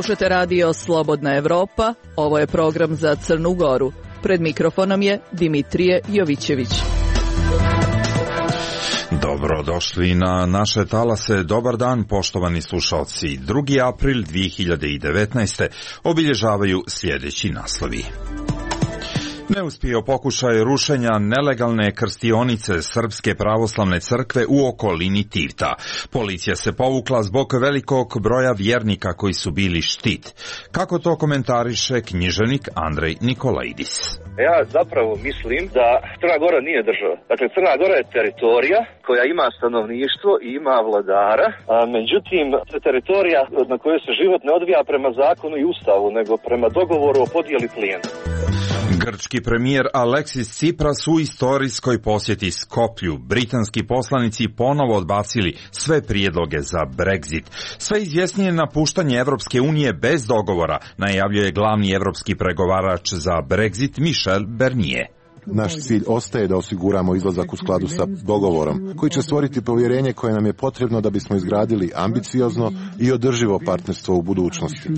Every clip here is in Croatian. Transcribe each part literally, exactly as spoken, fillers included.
Slušate radio Slobodna Evropa, ovo je program za Crnu Goru. Pred mikrofonom je Dimitrije Jovićević. Dobrodošli na naše talase. Dobar dan, poštovani slušalci. drugi april dvije hiljade devetnaeste. obilježavaju sljedeći naslovi. Neuspio pokušaj rušenja nelegalne krstionice Srpske pravoslavne crkve u okolini Tivta. Policija se povukla zbog velikog broja vjernika koji su bili štit. Kako to komentariše književnik Andrej Nikolaidis? Ja zapravo mislim da Crna Gora nije država. Dakle, Crna Gora je teritorija koja ima stanovništvo i ima vladara, a međutim, teritorija na kojoj se život ne odvija prema zakonu i ustavu, nego prema dogovoru o podijeli plijena. Grčki premijer Aleksis Tsipras u istorijskoj posjeti Skoplju. Britanski poslanici ponovo odbacili sve prijedloge za Brexit. Sve izvjesnije napuštanje Evropske unije bez dogovora najavljuje glavni evropski pregovarač za Brexit Michel Barnier. Naš cilj ostaje da osiguramo izlazak u skladu sa dogovorom, koji će stvoriti povjerenje koje nam je potrebno da bismo izgradili ambiciozno i održivo partnerstvo u budućnosti.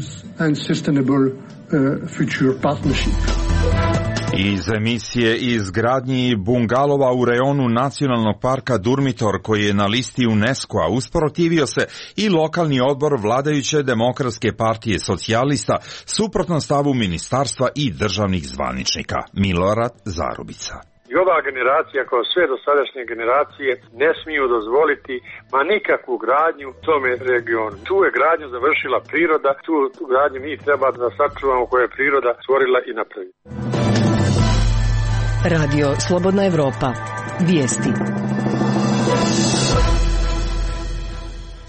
Iz emisije izgradnji bungalova u rejonu Nacionalnog parka Durmitor, koji je na listi UNESCO-a, usprotivio se i lokalni odbor vladajuće Demokratske partije socijalista suprotno stavu ministarstva i državnih zvaničnika. Milorad Zarubica. I ova generacija, kao sve dosadašnje generacije, ne smiju dozvoliti ma nikakvu gradnju u tome regionu. Tu je gradnju završila priroda, tu, tu gradnju mi treba da sačuvamo koje je priroda stvorila i napravila. Radio Slobodna Evropa. Vijesti.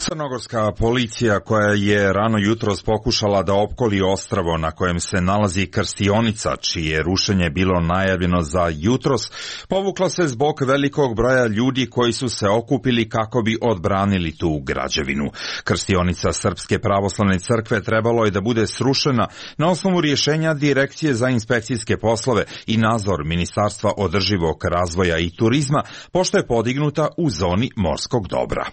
Crnogorska policija, koja je rano jutros pokušala da opkoli ostrvo na kojem se nalazi krstionica, čije je rušenje bilo najavljeno za jutros, povukla se zbog velikog broja ljudi koji su se okupili kako bi odbranili tu građevinu. Krstionica Srpske pravoslavne crkve trebalo je da bude srušena na osnovu rješenja Direkcije za inspekcijske poslove i nadzor Ministarstva održivog razvoja i turizma, pošto je podignuta u zoni morskog dobra.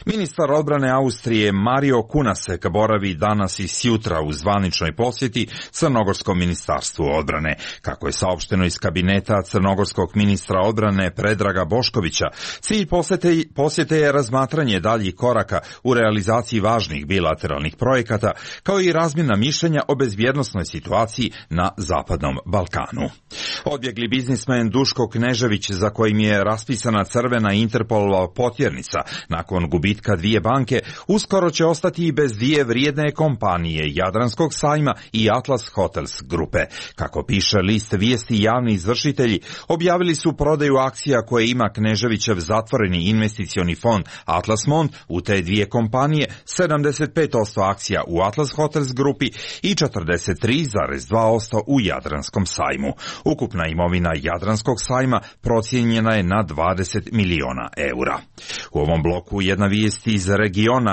Ministar odbrane Austrije Mario Kunasek boravi danas i sjutra u zvaničnoj posjeti Crnogorskom ministarstvu odbrane. Kako je saopšteno iz kabineta crnogorskog ministra odbrane Predraga Boškovića, cilj posjete, posjete je razmatranje daljih koraka u realizaciji važnih bilateralnih projekata, kao i razmjena mišljenja o bezbjednosnoj situaciji na Zapadnom Balkanu. Odbjegli biznismen Duško Knežević, za kojim je raspisana crvena Interpolova potjernica nakon gubitka dvije banke, uskoro će ostati i bez dvije vrijedne kompanije Jadranskog sajma i Atlas Hotels grupe. Kako piše list vijesti, javni izvršitelji objavili su prodaju akcija koje ima Kneževićev zatvoreni investicioni fond Atlas Mond u te dvije kompanije, sedamdeset pet posto akcija u Atlas Hotels grupi i četrdeset tri zarez dva posto u Jadranskom sajmu. Ukupna imovina Jadranskog sajma procijenjena je na dvadeset miliona eura. U ovom bloku jedna vijest iz regiona.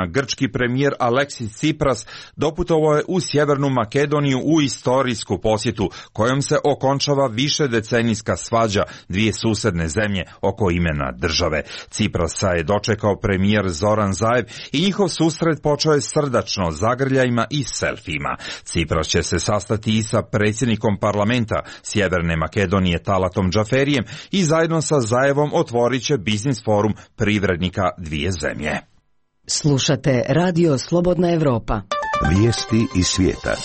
Grčki premijer Aleksis Tsipras doputovao je u Sjevernu Makedoniju u istorijsku posjetu kojom se okončava više decenijska svađa dvije susedne zemlje oko imena države. Tsiprasa je dočekao premijer Zoran Zaev i njihov susret počeo je srdačno zagrljajima i selfijima. Tsipras će se sastati i sa predsjednikom parlamenta Sjeverne Makedonije Talatom Džaferijem i zajedno sa Zaevom otvorit će biznis forum privrednika dvije zemlje. Slušate Radio Slobodna Evropa. Vijesti iz svijeta.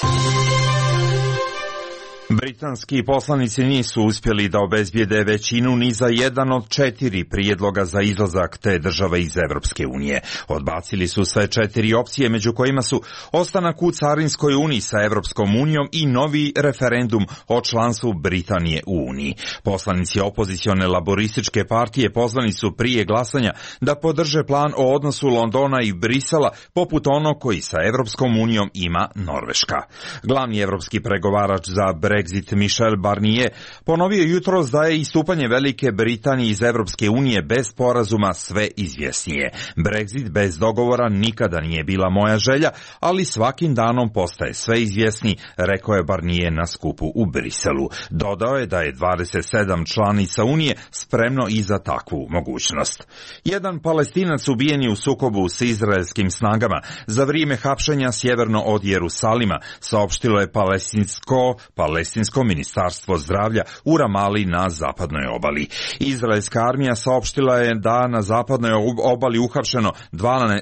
Britanski poslanici nisu uspjeli da obezbijede većinu ni za jedan od četiri prijedloga za izlazak te države iz Evropske unije. Odbacili su sve četiri opcije, među kojima su ostanak u Carinskoj uniji sa Evropskom unijom i novi referendum o članstvu Britanije u Uniji. Poslanici opozicione laborističke partije pozvani su prije glasanja da podrže plan o odnosu Londona i Brisela poput onog koji sa Evropskom unijom ima Norveška. Glavni evropski pregovarač za Brexit Brexit Michel Barnier ponovio jutros da je istupanje Velike Britanije iz Evropske unije bez sporazuma sve izvjesnije. Brexit bez dogovora nikada nije bila moja želja, ali svakim danom postaje sve izvjesniji, rekao je Barnier na skupu u Briselu. Dodao je da je dvadeset sedam članica Unije spremno i za takvu mogućnost. Jedan Palestinac ubijen je u sukobu s izraelskim snagama za vrijeme hapšenja sjeverno od Jerusalima, saopštilo je palestinsko, palestinsko ministarstvo zdravlja u Ramali na zapadnoj obali. Izraelska armija saopštila je da na zapadnoj obali uhapšeno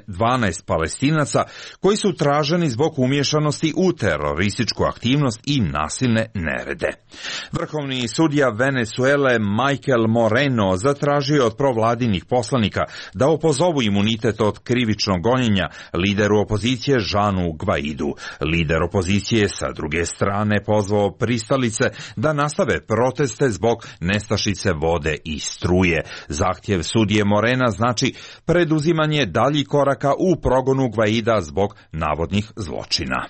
dvanaest Palestinaca koji su traženi zbog umiješanosti u terorističku aktivnost i nasilne nerede. Vrhovni sudija Venezuele Michael Moreno zatražio od provladinih poslanika da opozovu imunitet od krivičnog gonjenja lideru opozicije Žanu Gvaidu. Lider opozicije sa druge strane pozvao pristalice da nastave proteste zbog nestašice vode i struje. Zahtjev sudije Morena znači preduzimanje daljih koraka u progonu Gvaida zbog navodnih zločina.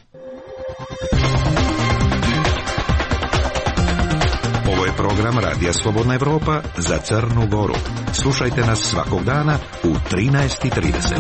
Ovo je program Radija Slobodna Evropa za Crnu Goru. Slušajte nas svakog dana u trinaest i trideset.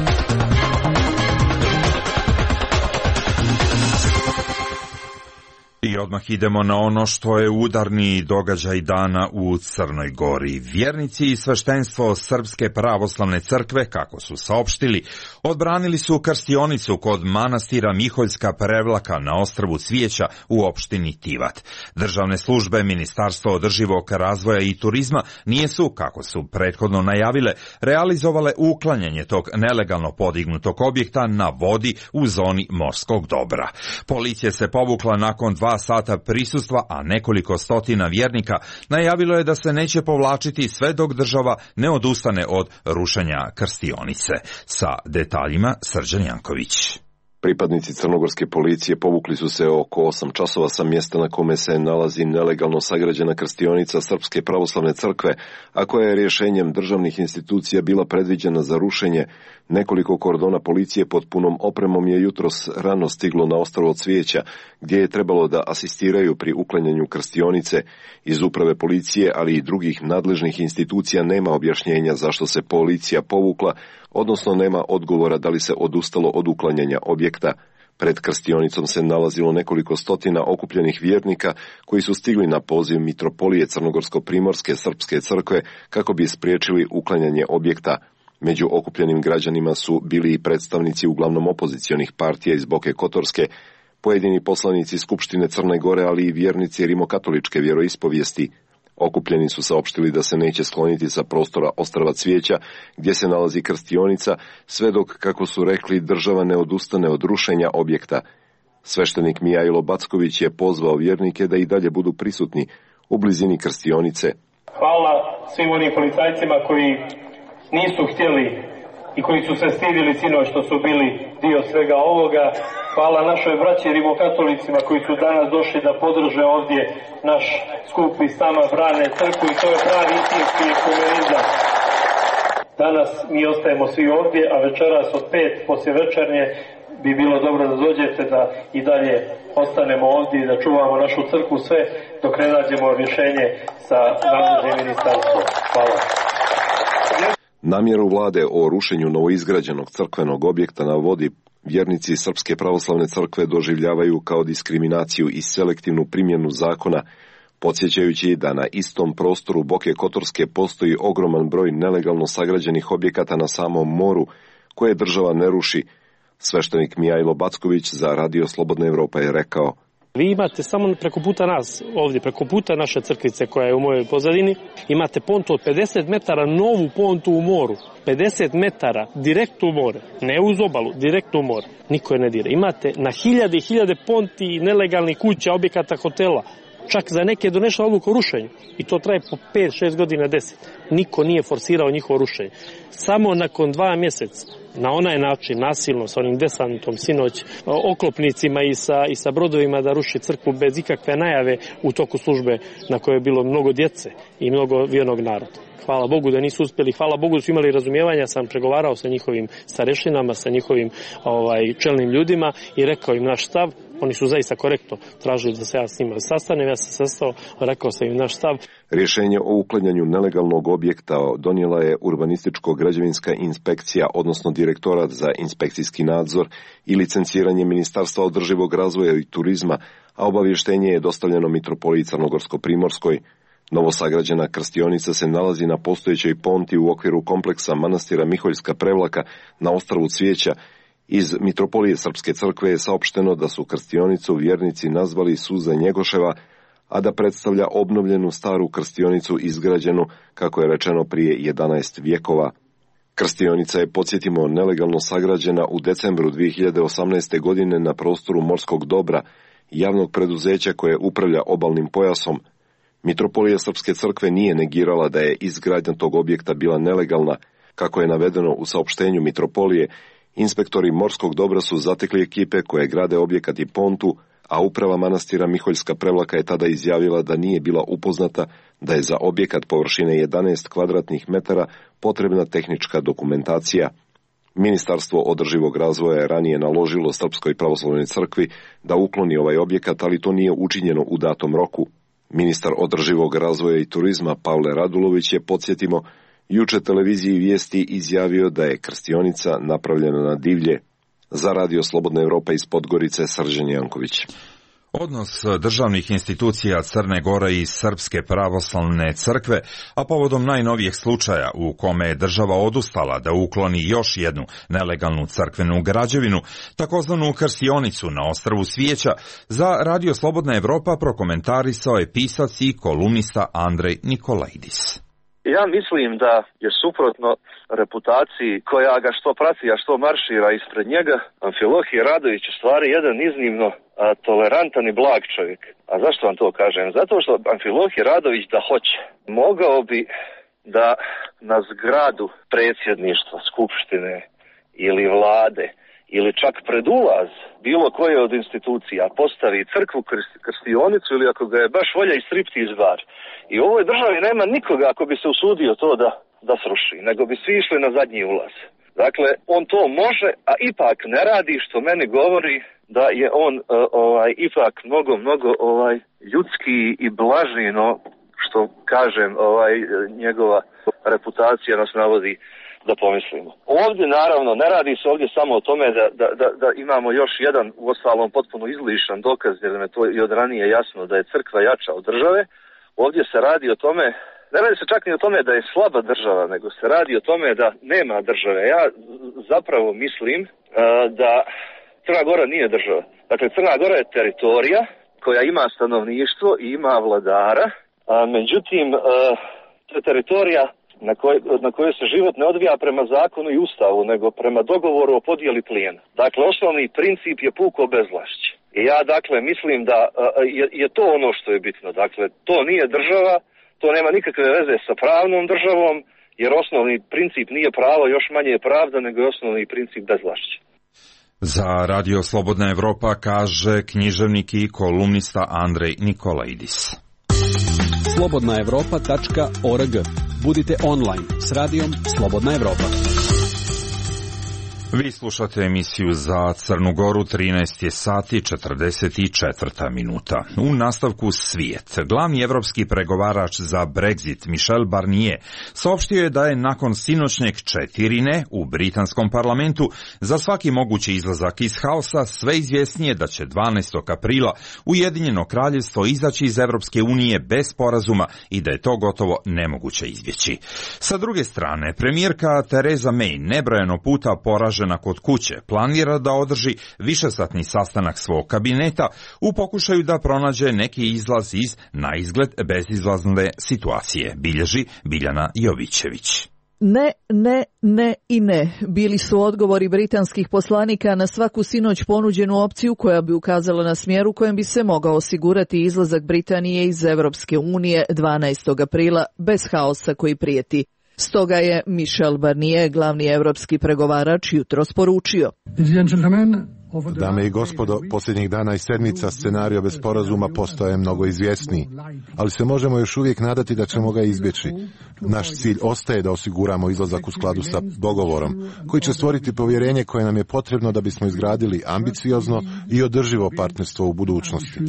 I odmah idemo na ono što je udarni događaj dana u Crnoj Gori. Vjernici i sveštenstvo Srpske pravoslavne crkve, kako su saopštili, odbranili su krstionicu kod manastira Miholjska Prevlaka na ostrvu Cvijeća u opštini Tivat. Državne službe Ministarstva održivog razvoja i turizma nisu, kako su prethodno najavile, realizovale uklanjanje tog nelegalno podignutog objekta na vodi u zoni morskog dobra. Policija se povukla nakon dva sata prisustva, a nekoliko stotina vjernika najavilo je da se neće povlačiti sve dok država ne odustane od rušenja krstionice. Sa detaljima Srđan Janković. Pripadnici crnogorske policije povukli su se oko osam časova sa mjesta na kome se nalazi nelegalno sagrađena krstionica Srpske pravoslavne crkve, a koja je rješenjem državnih institucija bila predviđena za rušenje. Nekoliko kordona policije pod punom opremom je jutros rano stiglo na ostrvo Cvijeća, gdje je trebalo da asistiraju pri uklanjanju krstionice. Iz uprave policije, ali i drugih nadležnih institucija nema objašnjenja zašto se policija povukla, odnosno nema odgovora da li se odustalo od uklanjanja objekta. Pred krstionicom se nalazilo nekoliko stotina okupljenih vjernika koji su stigli na poziv mitropolije Crnogorsko-primorske srpske crkve kako bi spriječili uklanjanje objekta. Među okupljenim građanima su bili i predstavnici uglavnom opozicionih partija iz Boke Kotorske, pojedini poslanici Skupštine Crne Gore, ali i vjernici rimokatoličke vjeroispovijesti. Okupljeni su saopštili da se neće skloniti sa prostora ostrva Cvijeća, gdje se nalazi krstionica, sve dok, kako su rekli, država ne odustane od rušenja objekta. Sveštenik Mijajlo Backović je pozvao vjernike da i dalje budu prisutni u blizini krstionice. Hvala svim onim policajcima koji nisu htjeli i koji su se stidili sinoć što su bili dio svega ovoga. Hvala našoj braći rimokatolicima koji su danas došli da podrže ovdje naš skup i sama brane crkvu i to je pravi istinski ekumenizam. Danas mi ostajemo svi ovdje, a večeras od pet poslije večernje bi bilo dobro da dođete da i dalje ostanemo ovdje i da čuvamo našu crkvu sve dok ne nađemo rješenje sa nadležnim ministarstvom. Hvala. Namjeru vlade o rušenju novoizgrađenog crkvenog objekta na vodi vjernici Srpske pravoslavne crkve doživljavaju kao diskriminaciju i selektivnu primjenu zakona, podsjećajući da na istom prostoru Boke Kotorske postoji ogroman broj nelegalno sagrađenih objekata na samom moru koje država ne ruši. Sveštenik Mijajlo Backović za Radio Slobodna Evropa je rekao: Vi imate samo preko puta nas, ovdje preko puta naše crkvice koja je u mojoj pozadini, imate pontu od pedeset metara, novu pontu u moru. pedeset metara, direkt u more, ne uz obalu, direkt u more. Niko je ne dira. Imate na hiljade i hiljade ponti, nelegalnih kuća, objekata, hotela. Čak za neke je donešla odluka o rušenju. I to traje po pet šest godina, deset. Niko nije forsirao njihovo rušenje. Samo nakon dva mjeseca, na onaj način, nasilno, sa onim desantom, sinoć, oklopnicima i sa, i sa brodovima da ruši crkvu bez ikakve najave u toku službe na kojoj je bilo mnogo djece i mnogo vjernog naroda. Hvala Bogu da nisu uspjeli, hvala Bogu da su imali razumijevanja, sam pregovarao sa njihovim starešinama, sa njihovim ovaj, čelnim ljudima i rekao im naš stav. Oni su zaista korektno tražili da se ja s njima sastanem, ja sam sastao, rekao sam im naš stav. Rješenje o uklanjanju nelegalnog objekta donijela je urbanističko-građevinska inspekcija, odnosno direktorat za inspekcijski nadzor i licenciranje Ministarstva održivog razvoja i turizma, a obavještenje je dostavljeno Mitropoliji Crnogorsko-Primorskoj. Novosagrađena krstionica se nalazi na postojećoj ponti u okviru kompleksa manastira Miholjska Prevlaka na ostrvu Cvijeća. Iz Mitropolije Srpske crkve je saopšteno da su krstionicu vjernici nazvali Suza Njegoševa, a da predstavlja obnovljenu staru krstionicu izgrađenu, kako je rečeno, prije jedanaest vjekova. Krstionica je, podsjetimo, nelegalno sagrađena u decembru dvije hiljade osamnaeste. godine na prostoru Morskog dobra, javnog preduzeća koje upravlja obalnim pojasom. Mitropolija Srpske crkve nije negirala da je izgradnja tog objekta bila nelegalna. Kako je navedeno u saopštenju Mitropolije, inspektori Morskog dobra su zatekli ekipe koje grade objekat i pontu, a uprava manastira Miholjska Prevlaka je tada izjavila da nije bila upoznata da je za objekat površine jedanaest kvadratnih metara potrebna tehnička dokumentacija. Ministarstvo održivog razvoja je ranije naložilo Srpskoj pravoslavnoj crkvi da ukloni ovaj objekat, ali to nije učinjeno u datom roku. Ministar održivog razvoja i turizma Pavle Radulović je, podsjetimo, juče televiziji Vijesti izjavio da je krstionica napravljena na divlje. Za Radio Slobodna Evropa iz Podgorice, Srđan Janković. Odnos državnih institucija Crne Gore i Srpske pravoslavne crkve, a povodom najnovijeg slučaja u kome je država odustala da ukloni još jednu nelegalnu crkvenu građevinu, takozvanu krstionicu na ostrvu Cvijeća, za Radio Slobodna Evropa prokomentarisao je pisac i kolumnista Andrej Nikolaidis. Ja mislim da je suprotno reputaciji koja ga što prati, a što maršira ispred njega, Amfilohije Radović u stvari jedan iznimno a, tolerantan i blag čovjek. A zašto vam to kažem? Zato što Amfilohije Radović da hoće, mogao bi da na zgradu predsjedništva, skupštine ili vlade ili čak pred ulaz bilo koje od institucija postavi crkvu, krstionicu ili ako ga je baš volja i striptiz bar. I u ovoj državi nema nikoga ako bi se usudio to da, da sruši, nego bi svi išli na zadnji ulaz. Dakle, on to može, a ipak ne radi, što meni govori da je on uh, ovaj ipak mnogo, mnogo ovaj ljudski i blaži, no što kažem, ovaj njegova reputacija nas navodi da pomislimo. Ovdje naravno ne radi se ovdje samo o tome da, da, da, da imamo još jedan, uostalom potpuno izlišan dokaz, jer nam je to i od ranije jasno da je crkva jača od države. Ovdje se radi o tome, ne radi se čak ni o tome da je slaba država, nego se radi o tome da nema države. Ja zapravo mislim uh, da Crna Gora nije država. Dakle, Crna Gora je teritorija koja ima stanovništvo i ima vladara, a međutim uh, to je teritorija na kojoj, na kojoj se život ne odvija prema zakonu i ustavu, nego prema dogovoru o podjeli plijena. Dakle, osnovni princip je puko bezvlašće. I ja, dakle, mislim da uh, je, je to ono što je bitno. Dakle, to nije država, to nema nikakve veze sa pravnom državom, jer osnovni princip nije pravo, još manje je pravda, nego je osnovni princip bezvlašće. Za Radio Slobodna Evropa kaže književnik i kolumnista Andrej Nikolaidis. slobodna evropa tačka org. Budite online s radijom Slobodna Evropa. Vi slušate emisiju za Crnu Goru, trinaest je sati četrdeset četiri minuta. U nastavku Svijet. Glavni evropski pregovarač za Brexit Michel Barnier saopštio je da je nakon sinoćnjeg četiri ne u britanskom parlamentu za svaki mogući izlazak iz haosa sve izvjesnije da će dvanaestog aprila Ujedinjeno kraljevstvo izaći iz Evropske unije bez sporazuma i da je to gotovo nemoguće izbjeći. Sa druge strane, premijerka Theresa May nebrojeno puta poražena kod kuće planira da održi višesatni sastanak svog kabineta u pokušaju da pronađe neki izlaz iz naizgled bezizlazne situacije, bilježi Biljana Jovićević. Ne, ne, ne i ne bili su odgovori britanskih poslanika na svaku sinoć ponuđenu opciju koja bi ukazala na smjer u kojem bi se mogao osigurati izlazak Britanije iz Evropske unije dvanaestog aprila bez haosa koji prijeti. Stoga je Michel Barnier, glavni evropski pregovarač, jutros poručio: Dame i gospodo, posljednjih dana i sedmica scenario bez sporazuma postaje mnogo izvjesniji, ali se možemo još uvijek nadati da ćemo ga izbjeći. Naš cilj ostaje da osiguramo izlazak u skladu sa dogovorom, koji će stvoriti povjerenje koje nam je potrebno da bismo izgradili ambiciozno i održivo partnerstvo u budućnosti.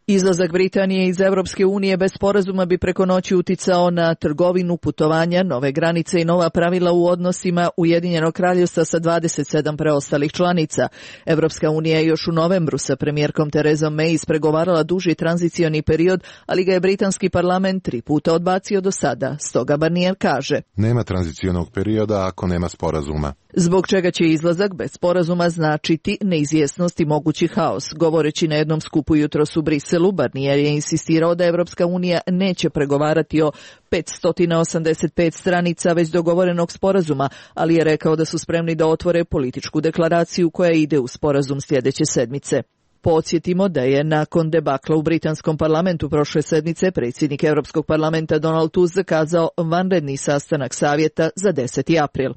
Izlazak Britanije iz Europske unije bez sporazuma bi preko noći uticao na trgovinu, putovanja, nove granice i nova pravila u odnosima Ujedinjenog kraljevstva sa dvadeset sedam preostalih članica. Europska unija je još u novembru sa premijerkom Terezom May ispregovarala duži tranzicioni period, ali ga je britanski parlament tri puta odbacio do sada. Stoga Barnier kaže: nema tranzicionog perioda ako nema sporazuma. Zbog čega će izlazak bez sporazuma značiti neizvjesnost i mogući haos. Govoreći na jednom skupu jutros u Briselu, Barnier je insistirao da Evropska unija neće pregovarati o petsto osamdeset pet stranica već dogovorenog sporazuma, ali je rekao da su spremni da otvore političku deklaraciju koja ide u sporazum sljedeće sedmice. Podsjetimo da je nakon debakla u britanskom parlamentu prošle sedmice predsjednik Europskog parlamenta Donald Tusk zakazao vanredni sastanak savjeta za deseti april.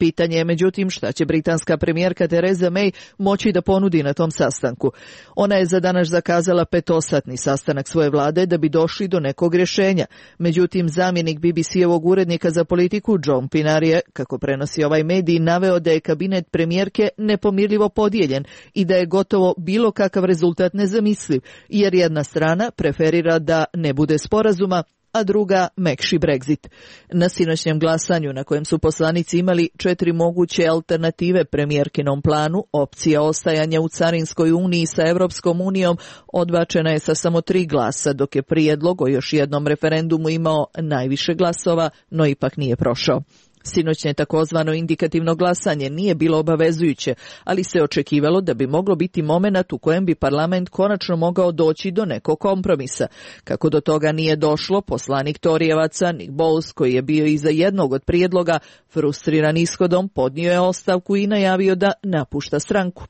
Pitanje je međutim šta će britanska premijerka Theresa May moći da ponudi na tom sastanku. Ona je za danas zakazala petosatni sastanak svoje vlade da bi došli do nekog rješenja. Međutim, zamjenik B B C-evog urednika za politiku John Pinar je, kako prenosi ovaj medij, naveo da je kabinet premijerke nepomirljivo podijeljen i da je gotovo bilo kakav rezultat nezamisliv, jer jedna strana preferira da ne bude sporazuma, a druga mekši Brexit. Na sinoćnjem glasanju na kojem su poslanici imali četiri moguće alternative premijerkinom planu, opcija ostajanja u Carinskoj uniji sa Europskom unijom odbačena je sa samo tri glasa, dok je prijedlog o još jednom referendumu imao najviše glasova, no ipak nije prošao. Sinoćnje takozvano indikativno glasanje nije bilo obavezujuće, ali se očekivalo da bi moglo biti momenat u kojem bi parlament konačno mogao doći do nekog kompromisa. Kako do toga nije došlo, poslanik Torijevaca Nick Boles, koji je bio iza jednog od prijedloga, frustriran ishodom, podnio je ostavku i najavio da napušta stranku.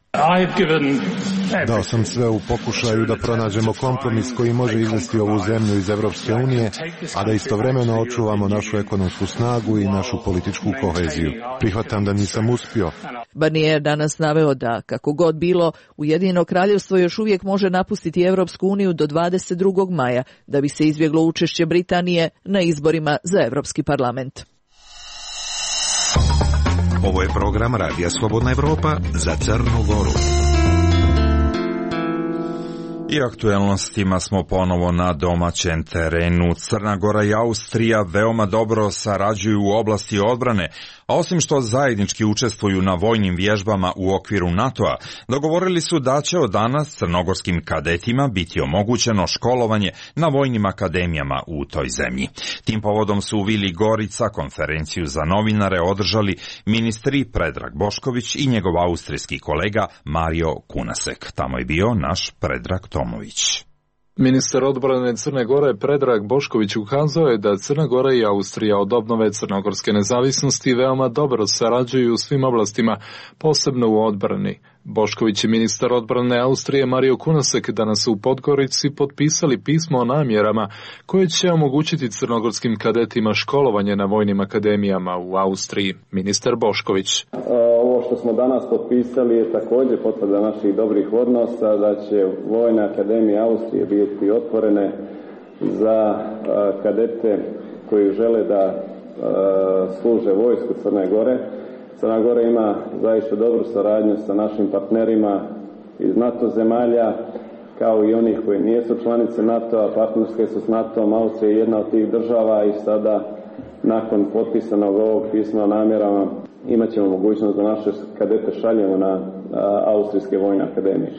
Dao sam sve u pokušaju da pronađemo kompromis koji može izvesti ovu zemlju iz Evropske unije, a da istovremeno očuvamo našu ekonomsku snagu i našu političku koheziju. Prihvatam da nisam uspio. Barnier danas naveo da, kako god bilo, Ujedinjeno kraljevstvo još uvijek može napustiti Evropsku uniju do dvadeset drugog maja, da bi se izbjeglo učešće Britanije na izborima za Evropski parlament. Ovo je program Radija Slobodna Evropa za Crnu Goru. I aktuelnostima smo ponovo na domaćem terenu. Crna Gora i Austrija veoma dobro sarađuju u oblasti odbrane, a osim što zajednički učestvuju na vojnim vježbama u okviru NATO-a, dogovorili su da će od danas crnogorskim kadetima biti omogućeno školovanje na vojnim akademijama u toj zemlji. Tim povodom su u Vili Gorica konferenciju za novinare održali ministri Predrag Bošković i njegov austrijski kolega Mario Kunasek. Tamo je bio naš Predrag Tomović. Ministar odbrane Crne Gore Predrag Bošković ukazao je da Crna Gora i Austrija od obnove crnogorske nezavisnosti veoma dobro sarađuju u svim oblastima, posebno u odbrani. Bošković i ministar odbrane Austrije Mario Kunasek danas u Podgorici potpisali pismo o namjerama koje će omogućiti crnogorskim kadetima školovanje na vojnim akademijama u Austriji. Ministar Bošković. Ovo što smo danas potpisali je također potvrda naših dobrih odnosa, da će vojne akademije Austrije biti otvorene za kadete koji žele da služe vojsku Crne Gore. Crna Gora ima zaista dobru saradnju sa našim partnerima iz NATO zemalja, kao i onih koji nisu članice NATO-a, partnerske su s NATO-om. Austrija je jedna od tih država i sada, nakon potpisanog ovog pisma o namjerama, imat ćemo mogućnost da naše kadete šaljemo na Austrijske vojne akademije.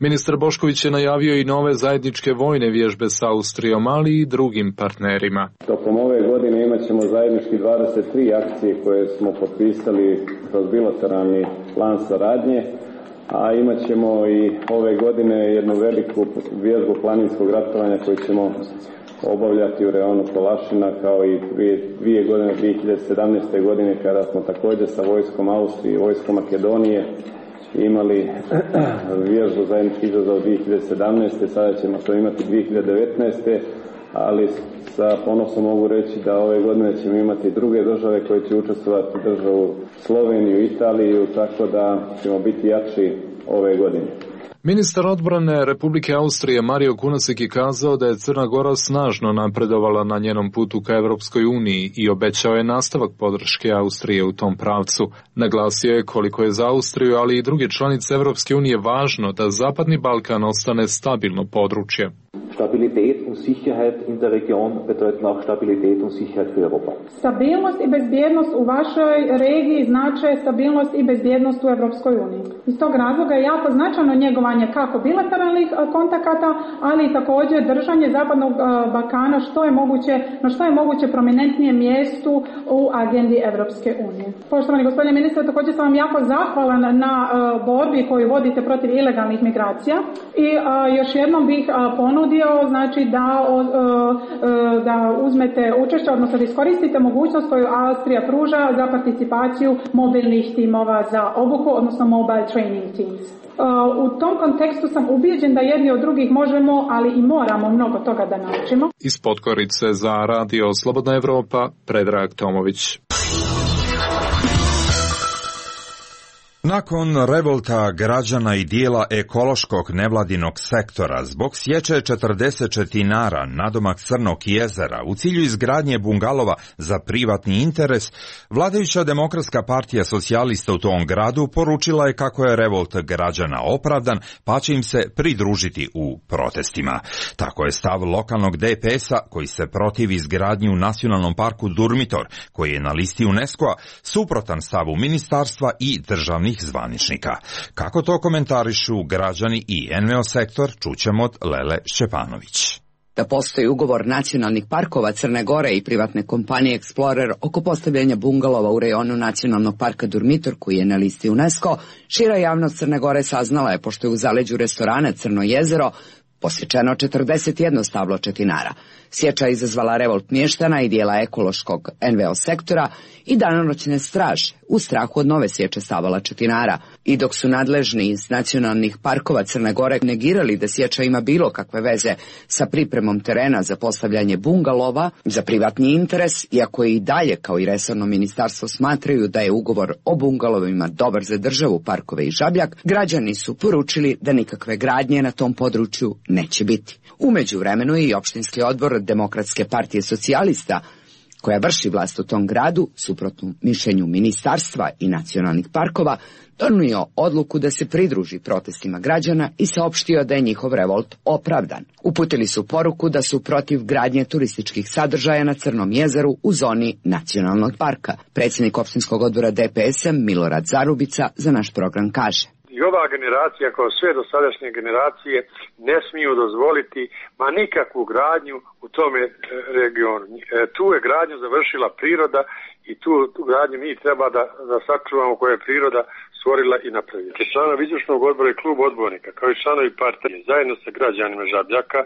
Ministar Bošković je najavio i nove zajedničke vojne vježbe s Austrijom, ali i drugim partnerima. Tokom ove godine imat ćemo zajednički dvadeset tri akcije koje smo potpisali kroz bilateralni plan saradnje, a imat ćemo i ove godine jednu veliku vježbu planinskog ratovanja koju ćemo obavljati u reonu Kolašina, kao i dvije, dvije godine, dvije hiljade sedamnaeste. godine, kada smo također sa vojskom Austrije i vojskom Makedonije imali vježbu zajednički izazov dvije hiljade sedamnaeste. Sada ćemo to imati dvije hiljade devetnaeste. ali sa ponosom mogu reći da ove godine ćemo imati druge države koje će učestvovati, državu Sloveniju, Italiju, tako da ćemo biti jači ove godine. Ministar odbrane Republike Austrije Mario Kunasik je kazao da je Crna Gora snažno napredovala na njenom putu ka Evropskoj uniji i obećao je nastavak podrške Austrije u tom pravcu. Naglasio je koliko je za Austriju, ali i druge članice Evropske unije važno da Zapadni Balkan ostane stabilno područje. Stabilität und Sicherheit in der Region bedeuten auch Stabilität und Sicherheit für Europa. Stabilnost i bezbjednost u vašoj regiji znače stabilnost i bezbjednost u Europskoj uniji. Iz tog razloga je jako značajno njegovanje kako bilateralnih kontakata, ali i također držanje Zapadnog Balkana što je moguće, na što je moguće prominentnijem mjestu u agendi Europske unije. Poštovani gospodine ministre, također sam vam jako zahvalan na borbi koju vodite protiv ilegalnih migracija i još jednom bih ponudio znači da, da uzmete učešće, odnosno da iskoristite mogućnost koju Austrija pruža za participaciju mobilnih timova za obuku, odnosno mobile training teams. U tom kontekstu sam ubijeđen da jedni od drugih možemo, ali i moramo mnogo toga da naučimo. Iz Podgorice za Radio Slobodna Evropa, Predrag Tomović. Nakon revolta građana i dijela ekološkog nevladinog sektora zbog sječe četrdeset četinara nadomak Crnog jezera u cilju izgradnje bungalova za privatni interes, vladajuća Demokratska partija socijalista u tom gradu poručila je kako je revolt građana opravdan, pa će im se pridružiti u protestima. Tako je stav lokalnog D P S-a koji se protivi izgradnji u nacionalnom parku Durmitor, koji je na listi UNESCO-a, suprotan stavu ministarstva i državnih zvaničnika. Kako to komentarišu građani i N V O sektor, čućemo od Lele Šćepanović. Da postoji ugovor nacionalnih parkova Crne Gore i privatne kompanije Explorer oko postavljanja bungalova u rejonu nacionalnog parka Durmitor, koji je na listi UNESCO, šira javnost Crne Gore saznala je pošto je u zaleđu restorana Crno jezero posječeno četrdeset jedno stablo četinara. Sječa izazvala revolt mještana i dijela ekološkog N V O sektora i danonoćne straže u strahu od nove sječe stabala četinara. I dok su nadležni iz nacionalnih parkova Crne Gore negirali da sječa ima bilo kakve veze sa pripremom terena za postavljanje bungalova za privatni interes, iako i dalje kao i resorno ministarstvo smatraju da je ugovor o bungalovima dobar za državu, parkove i Žabljak, građani su poručili da nikakve gradnje na tom području neće biti. U međuvremenu je i opštinski odbor Demokratske partije socijalista, koja vrši vlast u tom gradu, suprotno mišljenju ministarstva i nacionalnih parkova, donio odluku da se pridruži protestima građana i saopštio da je njihov revolt opravdan. Uputili su poruku da su protiv gradnje turističkih sadržaja na Crnom jezeru u zoni nacionalnog parka. Predsjednik opštinskog odbora D P S-a Milorad Zarubica za naš program kaže: I ova generacija, kao sve dosadašnje generacije, ne smiju dozvoliti ma nikakvu gradnju u tome regionu. Tu je gradnju završila priroda i tu, tu gradnju mi treba da, da sačuvamo koje je priroda stvorila i napravila. Članovi izvršnog odbora i klub odbornika, kao i članovi partije, zajedno sa građanima Žabljaka,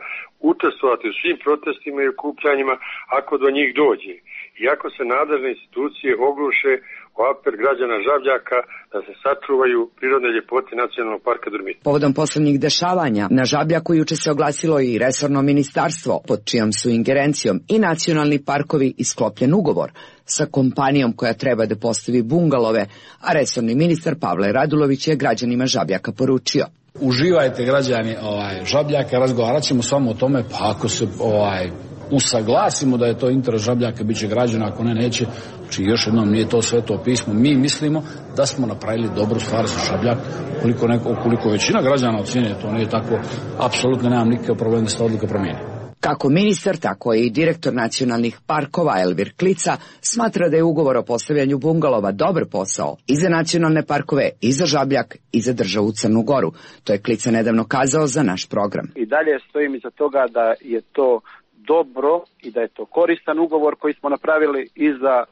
učestvovati u svim protestima i okupljanjima ako do njih dođe. I ako se nadležne institucije ogluše o apel građana Žabljaka da se sačuvaju prirodne ljepote nacionalnog parka Durmitor. Povodom poslednjih dešavanja na Žabljaku juče se oglasilo i resorno ministarstvo, pod čijom su ingerencijom i nacionalni parkovi i sklopljen ugovor sa kompanijom koja treba da postavi bungalove, a resorni ministar Pavle Radulović je građanima Žabljaka poručio: uživajte građani ovaj, Žabljaka, razgovarat ćemo s vama o tome, pa ako se ovaj, usaglasimo da je to interes Žabljaka, bit će građana, ako ne, neće. Znači, još jednom, nije to sveto pismo. Mi mislimo da smo napravili dobru stvar za Žabljak. Koliko, neko, koliko većina građana ocjenjuje, to nije tako, apsolutno nemam nikakav problem da se ta odluka promijeni. Kako ministar, tako i direktor nacionalnih parkova Elvir Klica smatra da je ugovor o postavljanju bungalova dobar posao i za nacionalne parkove, i za Žabljak, i za državu Crnu Goru. To je Klica nedavno kazao za naš program. I dalje stojim iza toga da je to dobro i da je to koristan ugovor koji smo napravili i za a,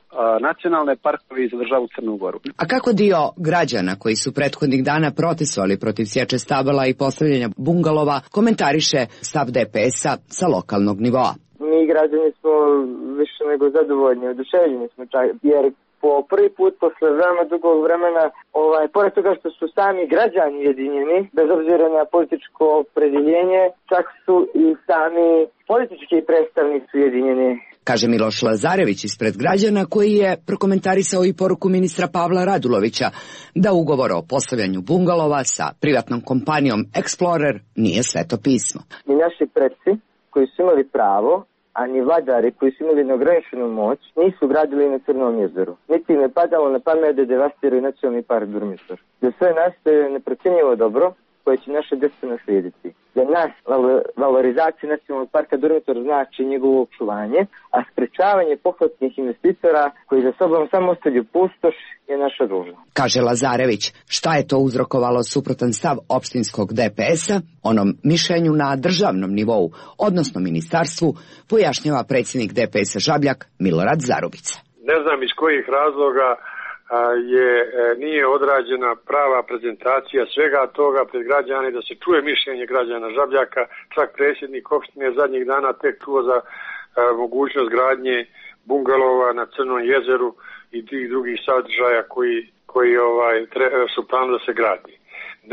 nacionalne parkove i za državu Crnu Goru. A kako dio građana koji su prethodnih dana protestovali protiv sječe stabala i postavljanja bungalova komentariše stav D P S-a sa lokalnog nivoa? Mi građani smo više nego zadovoljni, oduševljeni smo čak, jer po prvi put posle veoma dugog vremena, ovaj, pored toga što su sami građani ujedinjeni, bez obzira na političko opredjeljenje, čak su i sami politički predstavnici ujedinjeni. Kaže Miloš Lazarević ispred građana, koji je prokomentarisao i poruku ministra Pavla Radulovića da ugovor o postavljanju bungalova sa privatnom kompanijom Explorer nije sveto pismo. I naši predsi koji su imali pravo, a ni vladari koji su imali neograničenu moć, nisu gradili na Crnom jezeru. Niti im je padalo na pamet da devastiraju nacionalni park Durmitor. Za sve nas to je neprocjenjivo dobro koje će naše djeca naslijediti. Za nas valorizacija nacionalnog parka Durmitor znači njegovo očuvanje, a sprečavanje pohvatnih investitora koji za sobom samo ostavljaju pustoš je naša dužnost. Kaže Lazarević, šta je to uzrokovalo suprotan stav opštinskog D P S-a, onom mišljenju na državnom nivou, odnosno ministarstvu, pojašnjava predsjednik D P S-a Žabljak Milorad Zarubica. Ne znam iz kojih razloga je nije odrađena prava prezentacija svega toga pred građane, da se čuje mišljenje građana Žabljaka. Čak predsjednik opštine zadnjih dana tek čuo za a, mogućnost gradnje bungalova na Crnom jezeru i tih drugih sadržaja koji, koji ovaj, tre, su planu da se gradi.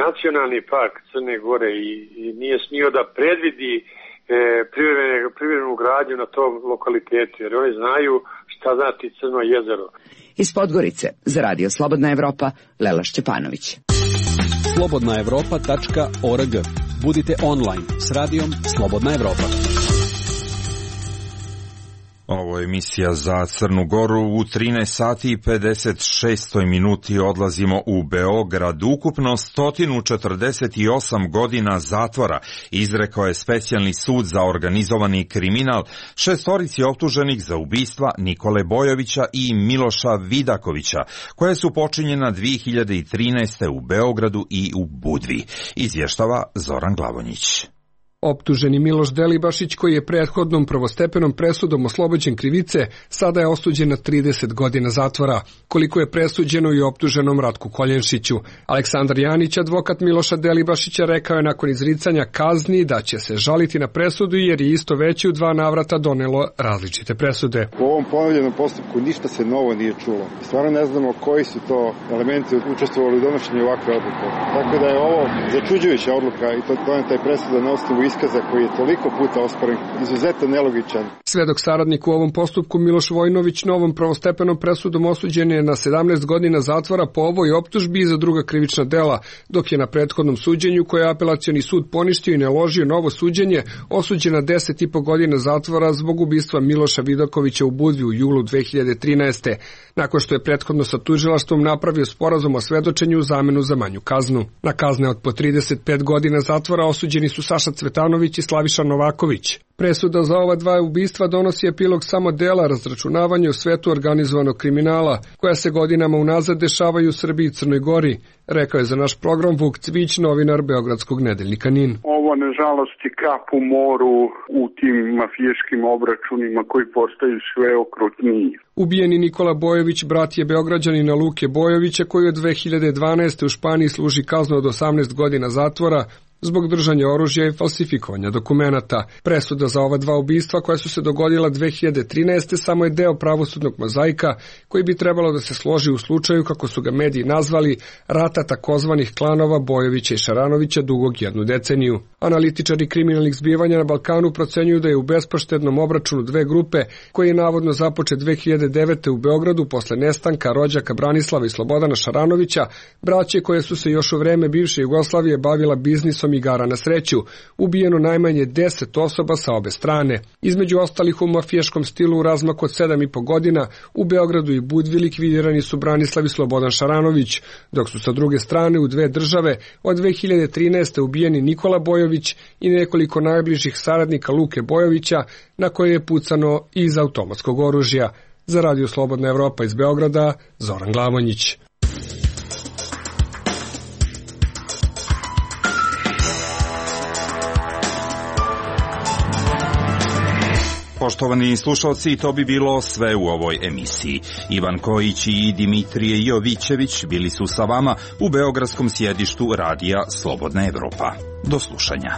Nacionalni park Crne Gore i, i nije smio da predvidi e, privremenu gradnju na tom lokalitetu, jer oni znaju šta znači Crno jezero. Iz Podgorice za Radio Slobodna Evropa, Lela Šćepanović. slobodna evropa tačka org. Budite online s radijom Slobodna Evropa. Ovo je emisija za Crnu Goru. U trinaest sati i pedeset šest minuti odlazimo u Beograd. Ukupno sto četrdeset osam godina zatvora izrekao je specijalni sud za organizovani kriminal šestorici optuženih za ubistva Nikole Bojovića i Miloša Vidakovića, koje su počinjena dve hiljade trinaeste. u Beogradu i u Budvi. Izvještava Zoran Glavonjić. Optuženi Miloš Delibašić, koji je prethodnom prvostepenom presudom oslobođen krivice, sada je osuđen na trideset godina zatvora, koliko je presuđeno i optuženom Ratku Koljenšiću. Aleksandar Janić, advokat Miloša Delibašića, rekao je nakon izricanja kazni da će se žaliti na presudu jer je isto veći u dva navrata donelo različite presude. U ovom ponovljenom postupku ništa se novo nije čulo. Stvarno ne znamo koji su to elementi učestvovali u donošenju ovakve odluke. Tako da je ovo začuđujuća odluka i to doneta je presuda na osnovu iskaza koji je toliko puta osporen, izuzetno nelogičan. Svedok saradnik u ovom postupku Miloš Vojnović novom prvostepenom presudom osuđen je na sedamnaest godina zatvora po ovoj optužbi i za druga krivična dela, dok je na prethodnom suđenju, koje je apelacioni sud poništio i naložio novo suđenje, osuđen na deset i po godina zatvora zbog ubistva Miloša Vidakovića u Budvi u julu dve hiljade trinaeste. nakon što je prethodno sa tužilaštvom napravio sporazum o svedočenju u zamenu za manju kaznu. Na kazne od po trideset pet godina zatvora osuđeni su Saša Cvetanović i Slaviša Novaković. Presuda za ova dva ubistva donosi epilog samo dela razračunavanja u svetu organizovanog kriminala, koja se godinama unazad dešavaju u Srbiji i Crnoj Gori, rekao je za naš program Vuk Cvić, novinar Beogradskog nedeljnika Nin. Ovo nažalost je kap u moru u tim mafijaškim obračunima koji postaju sve okrutniji. Ubijeni Nikola Bojović, brat je Beograđanina Luke Bojovića, koji od dve hiljade dvanaeste. u Španiji služi kaznu od osamnaest godina zatvora zbog držanja oružja i falsifikovanja dokumenata. Presuda za ova dva ubistva koja su se dogodila dve hiljade trinaeste. samo je deo pravosudnog mozaika koji bi trebalo da se složi u slučaju, kako su ga mediji nazvali, rata takozvanih klanova Bojovića i Šaranovića dugog jednu deceniju. Analitičari kriminalnih zbivanja na Balkanu procenjuju da je u bespoštednom obračunu dve grupe, koji je navodno započet dve hiljade devete. u Beogradu posle nestanka rođaka Branislava i Slobodana Šaranovića, braće koje su se još u vreme bivše Jugoslavije bavila biznisom igara na sreću, ubijeno najmanje deset osoba sa obe strane. Između ostalih u mafijaškom stilu u razmaku od sedam i po godina u Beogradu i Budvi likvidirani su Branislav i Slobodan Šaranović, dok su sa druge strane u dve države od dve hiljade trinaeste. ubijeni Nikola Bojović i nekoliko najbližih saradnika Luke Bojovića, na koje je pucano iz automatskog oružja. Za Radio Slobodna Evropa iz Beograda, Zoran Glavonjić. Poštovani slušalci, to bi bilo sve u ovoj emisiji. Ivan Kojić i Dimitrije Jovićević bili su sa vama u beogradskom sjedištu Radija Slobodna Evropa. Do slušanja.